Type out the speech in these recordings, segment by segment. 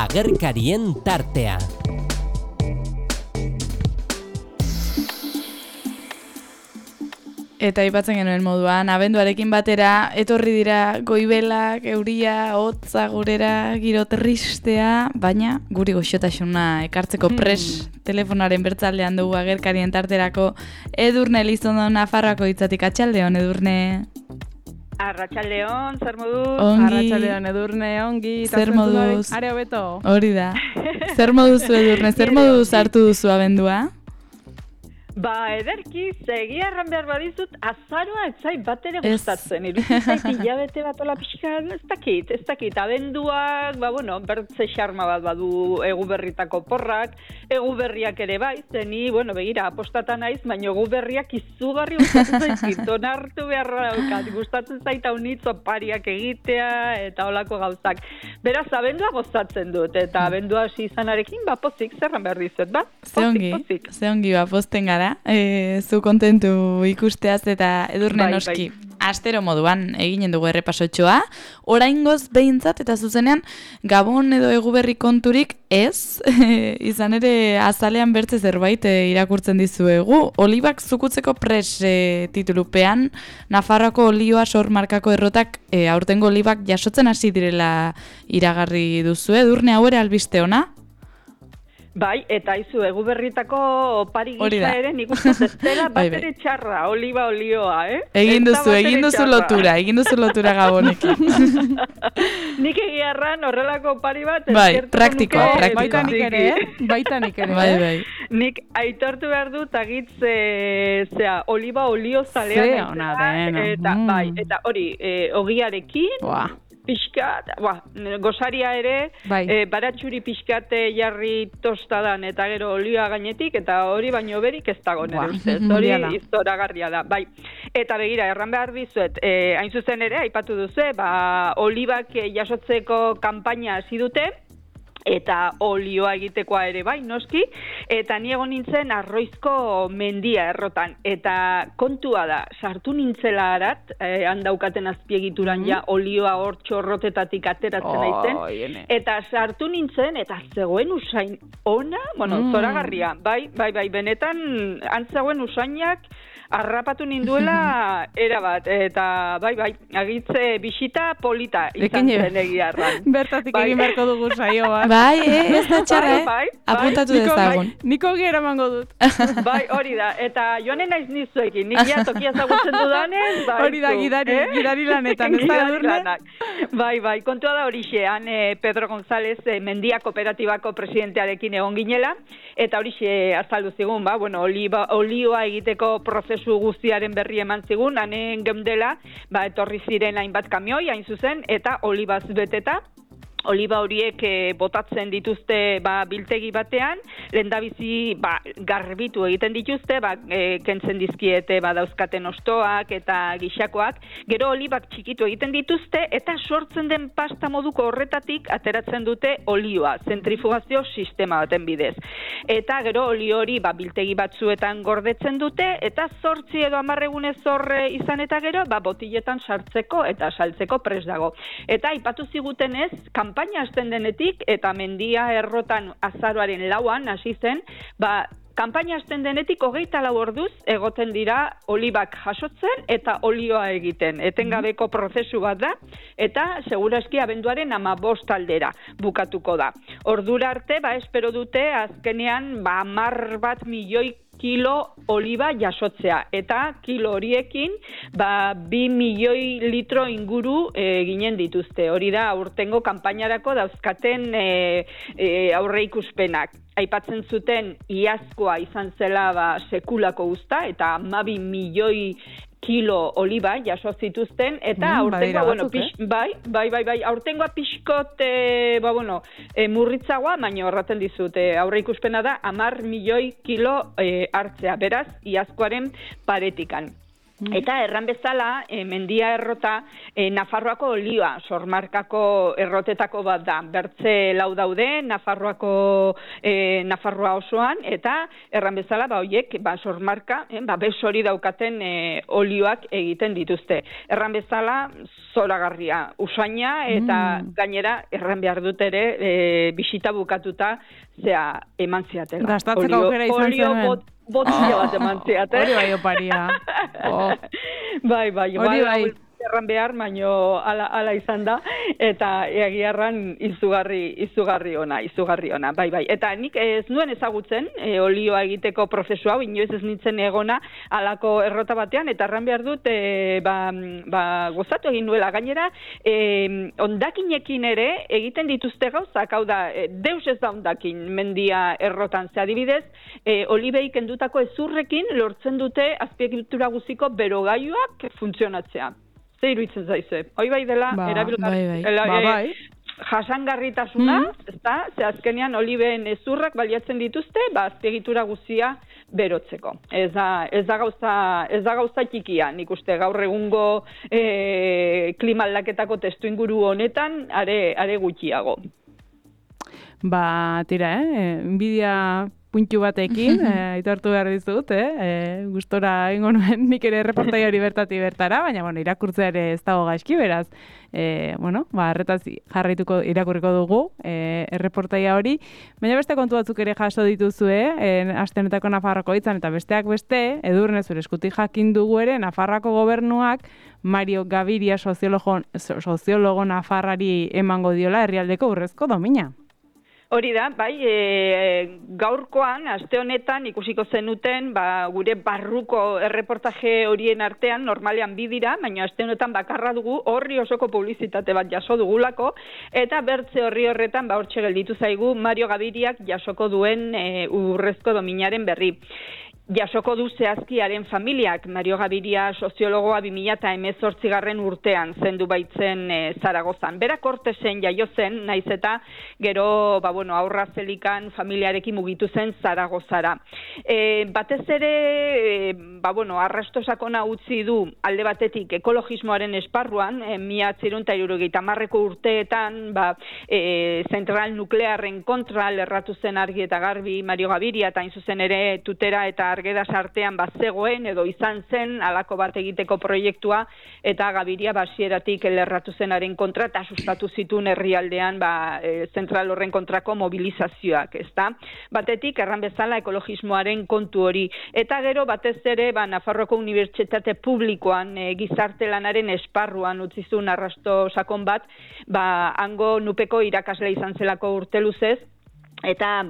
Agerkarien tartea. Eta aipatzen genuen moduan, abenduarekin batera, etorri dira goibelak, euria, hotza gurera, giro tristea, baina guri goxotasuna ekartzeko pres telefonaren bertzaldean dugu agerkarien tarterako Edurne Elizondo Nafarroako hitzatik. Atxaldeon, Edurne. Arratxaldeon, zer moduz? Ongi. Arratxaldeon, Edurne, ongi. Zer moduz? Are hobeto. Hori da. Zer moduzu, Edurne? Zer moduz hartu duzu abendua? Ederki, egia erran behar badizut, azaroa ez zait bat ere gustatzen. Iruditzen zait hilabete bat ola pixka, ez dakit. Abenduak, bertze xarma bat badu Eguberritako porrak, Eguberriak ere bai, zeni, begira, apostatan naiz, baina Eguberriak izugarri gustatzen zaizkit, onartu beharra daukat, gustatzen zaita unitz opariak egitea, eta olako gauzak. Beraz, abendua gozatzen dut, eta abendua hasi izanarekin, pozik, zerran behar dizut, pozik. Ze ongi, posten gara. Zu kontentu ikusteaz eta Edurne noski astero moduan eginen dugu errepasotxoa. Oraingoz behintzat eta zuzenean Gabon edo Eguberri konturik ez, izan ere azalean bertze zerbait irakurtzen dizuegu. Olibak zukutzeko pres titulupean, Nafarroako olioa sor markako errotak aurtengo olibak jasotzen hasi direla iragarri duzu. Edurne, hau ere albiste ona? Bai, eta izu Eguberritako opari gisa ere nik uste ez dela bat ere txarra, oliba olioa, Egin duzu lotura Gabonekin. Nik egiarran horrelako opari bat praktiko. Baita nik ere. Bai. Nik aitortu behar dut agitz oliba olio zalean. Eta hori, ogiarekin, pixkat, gosaria ere, baratxuri pixkat jarri tostadan eta gero olioa gainetik, eta hori baino berik ez dago nire ustez, hori iztoragarria da. Bai. Eta begira, erran behar dizuet, hain zuzen ere, aipatu duzu, olibak jasotzeko kanpaina hasi dute, eta olioa egitekoa ere bai, noski, eta ni egon nintzen Arroizko mendia errotan, eta kontua da, sartu nintzela harat, handaukaten azpiegituran olioa hor txorrotetatik ateratzen naizen, eta sartu nintzen, eta zegoen usain ona, zoragarria, bai, benetan, antzegoen usainak, harrapatu ninduela erabat, eta bai, agitze bisita polita izan zen egiarran. Bertatik egin beharko dugu saioa. Bai, ez da txarra, apuntatu dezagun. Niko gera mango dut. Bai, hori da, eta joanen naiz nizuekin, nik ja tokia zagutzen dudanez, bai. Hori da, gidari lanetan, ez da Edurne? Bai, kontua da horixe, Pedro González Mendia Kooperatibako presidentearekin egon ginela, eta horixe azaldu zigun, olioa egiteko prozesu guztiaren berri eman zigun, hanen geundela, etorri ziren hainbat kamioi, hain zuzen, eta olibaz beteta. Oliba horiek botatzen dituzte biltegi batean, lehendabizi garbitu egiten dituzte, kentzen dizkiete dauzkaten ostoak eta gixakoak, gero olibak txikitu egiten dituzte, eta sortzen den pasta moduko horretatik ateratzen dute olioa, zentrifugazio sistema baten bidez. Eta gero olio hori biltegi batzuetan gordetzen dute, eta 8 edo 10 egunez horre izan eta gero, botiletan sartzeko eta saltzeko prest dago. Eta aipatu zigutenez, kanpaina hasten denetik, eta mendia errotan azaroaren 4an hasi zen, kanpaina hasten denetik 24 orduz egoten dira olibak jasotzen eta olioa egiten. Etengabeko prozesu bat da, eta segurazki abenduaren 15 aldera bukatuko da. Ordura arte, espero dute, azkenean 10 milioi kilo oliba jasotzea, eta kilo horiekin 2 milioi litro inguru ginen dituzte. Hori da aurtengo kanpainarako dauzkaten aurreikuspenak. Aipatzen zuten iazkoa izan zela sekulako uzta, eta 12 milioi kilo oliba jaso zituzten, eta aurtengoa, aurtengoa pixkot, murritzagoa, baina horraten dizut, aurreikuspena da 10 milioi kilo hartzea, beraz, iazkoaren paretikan. Eta erran bezala, mendia errota, Nafarroako olioa, sormarkako errotetako bat da. Bertze lau daude, Nafarroa osoan, eta erran bezala, hoiek, sormarka, besori daukaten olioak egiten dituzte. Erran bezala, zoragarria, usaina, eta gainera, erran behar dut ere, bisita bukatuta, eman ziatela. Gastatzeko aukera izan zen. Botila bat eman ziate. Hori bai oparia. Bai, hori bai. Erran behar, baino ala izan da, eta egiarran izugarri ona, bai. Eta nik ez nuen ezagutzen olioa egiteko prozesu hau, inoiz ez nintzen egona alako errota batean, eta erran behar dut, gozatu egin nuela. Gainera, ondakinekin ere egiten dituzte gauzak, hau da, deus ez da ondakin mendia errotan, ze adibidez, olibei kendutako ezurrekin lortzen dute azpiegitura guziko berogailuak funtzionatzea. Ze iruditzen zaize. Hoi bai dela, Bai. jasangarritasuna, ezta? Ze azkenean olibeen ezurrak baliatzen dituzte, azpiegitura guzia berotzeko. Ez da gauza txikia, nik uste gaur egungo klima aldaketako testuinguru honetan are gutxiago. Tira, inbidia puntu batekin, aitortu behar dizut, gustora egingo nuen nik ere erreportaiari bertara, baina, irakurtzea ere ez dago gaizki, beraz, arretaz irakurriko dugu, erreportaia hori, baina beste kontu batzuk ere jaso dituzue, aste honetako Nafarroako hitzan, eta besteak beste, Edurne zure eskutik jakin dugu ere, Nafarroako gobernuak, Mario Gaviria soziologo Nafarrari emango diola herrialdeko urrezko domina. Hori da, bai, gaurkoan, aste honetan ikusiko zenuten, gure barruko erreportaje horien artean, normalean bi dira, baina aste honetan bakarra dugu, horri osoko publizitate bat jaso dugulako, eta bertze horretan, hortxe gelditu zaigu, Mario Gaviriak jasoko duen urrezko dominaren berri. Jasoko du zehazkiaren familiak, Mario Gaviria soziologoa 2018 urtean zendu baitzen Zaragozan. Bera Kortesen jaio zen, naiz eta gero aurra zelikan familiarekin mugitu zen Zaragozara. Batez ere, arrasto sakona utzi du alde batetik ekologismoaren esparruan, 1970ko urteetan zentral nuklearren kontra lerratu zen argi eta garbi Mario Gaviria, eta hain zuzen ere tutera eta argeda sartean zegoen edo izan zen alako bat egiteko proiektua, eta Gaviria basieratik lerratu zenaren kontra eta sustatu zituen herrialdean zentral horren kontrako mobilizazioak, ezta? Batetik erran bezala ekologismoaren kontu hori, eta gero batez ere Nafarroako Unibertsitate Publikoan gizarte lanaren esparruan utzizun arrasto sakon bat, hango nupeko irakasle izan zelako urte luzez, eta,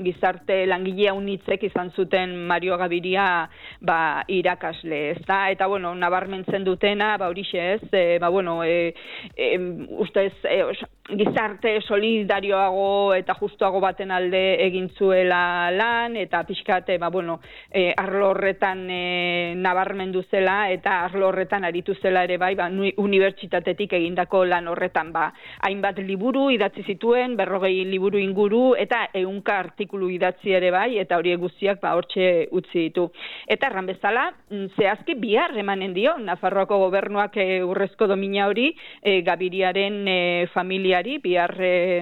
gizarte langilea unitzek izan zuten Mario Gaviria irakasle, ezta? Eta, nabarmentzen dutena, horixe ez, ustez, gizarte solidarioago eta justuago baten alde egin zuela lan, eta pixkate, arlo horretan nabarmendu zela, eta arlo horretan aritu zela ere unibertsitatetik egindako lan horretan, hainbat liburu idatzi zituen, 40 liburu inguru, eta 100 artikulu idatzi ere eta horiek guztiak hortxe utzi ditu. Eta erran bezala, zehazki bihar emanen dio, Nafarroako gobernuak urrezko domina hori, Gaviriaren familiari, bihar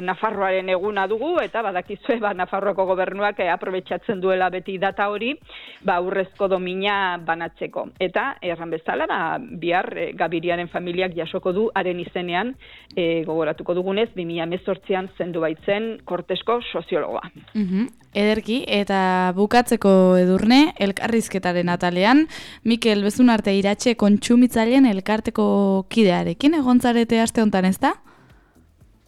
Nafarroaren eguna dugu, eta badakizue Nafarroako gobernuak aprobetxatzen duela beti data hori, urrezko domina banatzeko. Eta erran bezala, bihar Gaviriaren familiak jasoko du haren izenean, gogoratuko dugunez, 2018an zendu baitzen Kortesko soziologoa. Ederki, eta bukatzeko Edurne, elkarrizketaren atalean, Mikel Bezunarte Iratxe kontsumitzaileen elkarteko kidearekin egontzarete aste hontan, ez da?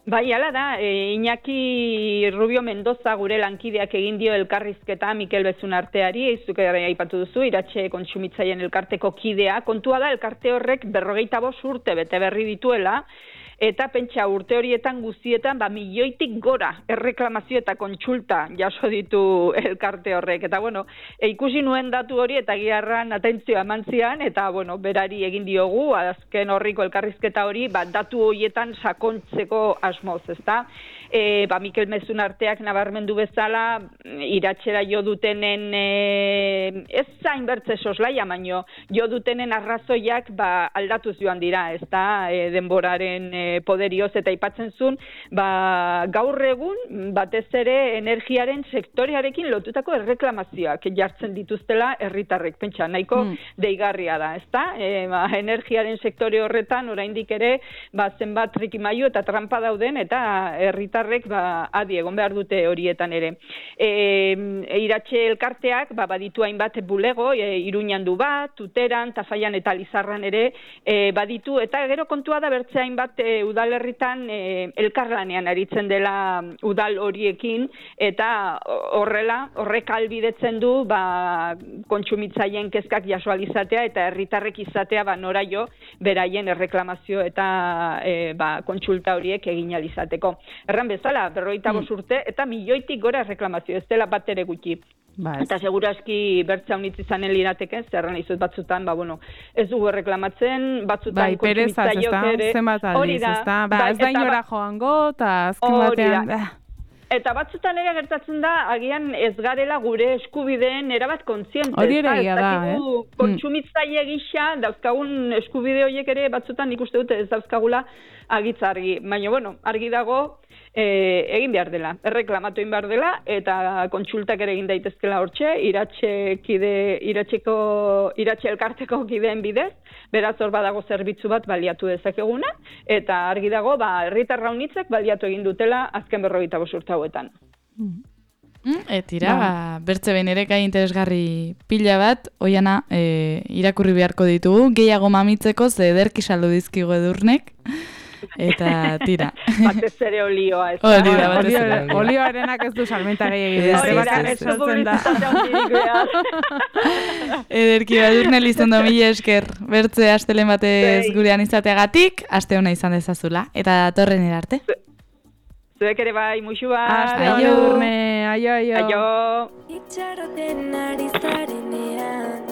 Bai, hala da, Iñaki Rubio Mendoza gure lankideak egin dio elkarrizketa Mikel Bezunarteari, zuk aipatu duzu, Iratxe kontsumitzaileen elkarteko kidea, kontua da elkarte horrek 45 urte bete berri dituela, eta pentsa urte horietan guztietan milioitik gora erreklamazio eta kontsulta jaso ditu elkarte horrek. Eta ikusi nuen datu hori eta giarran atentzioa eman zian, eta berari egin diogu, azken horriko elkarrizketa hori, datu horietan sakontzeko asmoz, ezta? Mikel Mezun arteak nabarmendu bezala, iratxera jo dutenen, ez zain bertze soslaia, baino, jo dutenen arrazoiak aldatuz joan dira, ez da, denboraren poderioz eta aipatzen zuen, gaur egun, batez ere energiaren sektorearekin lotutako erreklamazioak jartzen dituztela herritarrek, pentsa, nahiko deigarria da, ez da? Energiaren sektore horretan, oraindik ere, zenbat trikimailu eta trampa dauden, eta herritarrek adi egon behar dute horietan ere. Iratxe elkarteak baditu hainbat bulego, Iruñan du bat, Tuteran, Tafaian eta Lizarran ere baditu, eta gero kontua da bertze hainbat udalerritan elkarlanean aritzen dela udal horiekin, eta horrek albidetzen du kontsumitzaileen kezkak jaso alizatea eta herritarrek izatea nora jo beraien erreklamazio eta kontsulta horiek egin alizateko. Erran bezala, 55 urte eta milioitik gora reklamazio, ez dela bat ere gutxi. Eta seguraski bertza unitz izanen lirateken, zerran izut batzutan, ez dugu reklamatzen, batzutan kontsumitzaileok ere. Zenbat aldiz, ez da? Ez da inora joango, eta azken batean... Eta batzutan ere gertatzen da, agian ez garela gure eskubideen erabat kontziente. Hori ere egia da, Kontsumitzaile gisa, dauzkagun eskubide horiek ere batzutan ikuste dute ez dauzkagula agitza argi. Baina, argi dago egin behar dela, erreklamatu egin behar dela, eta kontsultak ere egin daitezkela hortxe, iratxe elkarteko kideen bidez, beraz hor badago zerbitzu bat baliatu dezakeguna, eta argi dago, herritar raunitzek baliatu egin dutela azken 45 urte hauetan. Etira, bertze behin ere gai interesgarri pila bat, Oiana, irakurri beharko ditugu, gehiago mamitzeko, ze ederki saldu dizkigu Edurnek, eta tira. Batez ere olioa, ez da? Olioarenak ez du salmenta gehiagidez. Ederki, Edurne lizondo mila esker, bertze astelen batez gurean izateagatik, aste hona izan dezazula, eta datorren erarte. Zuek ere bai, musu bat. Aio, Edurne, aio. Aio. Itxaroten ari zarenean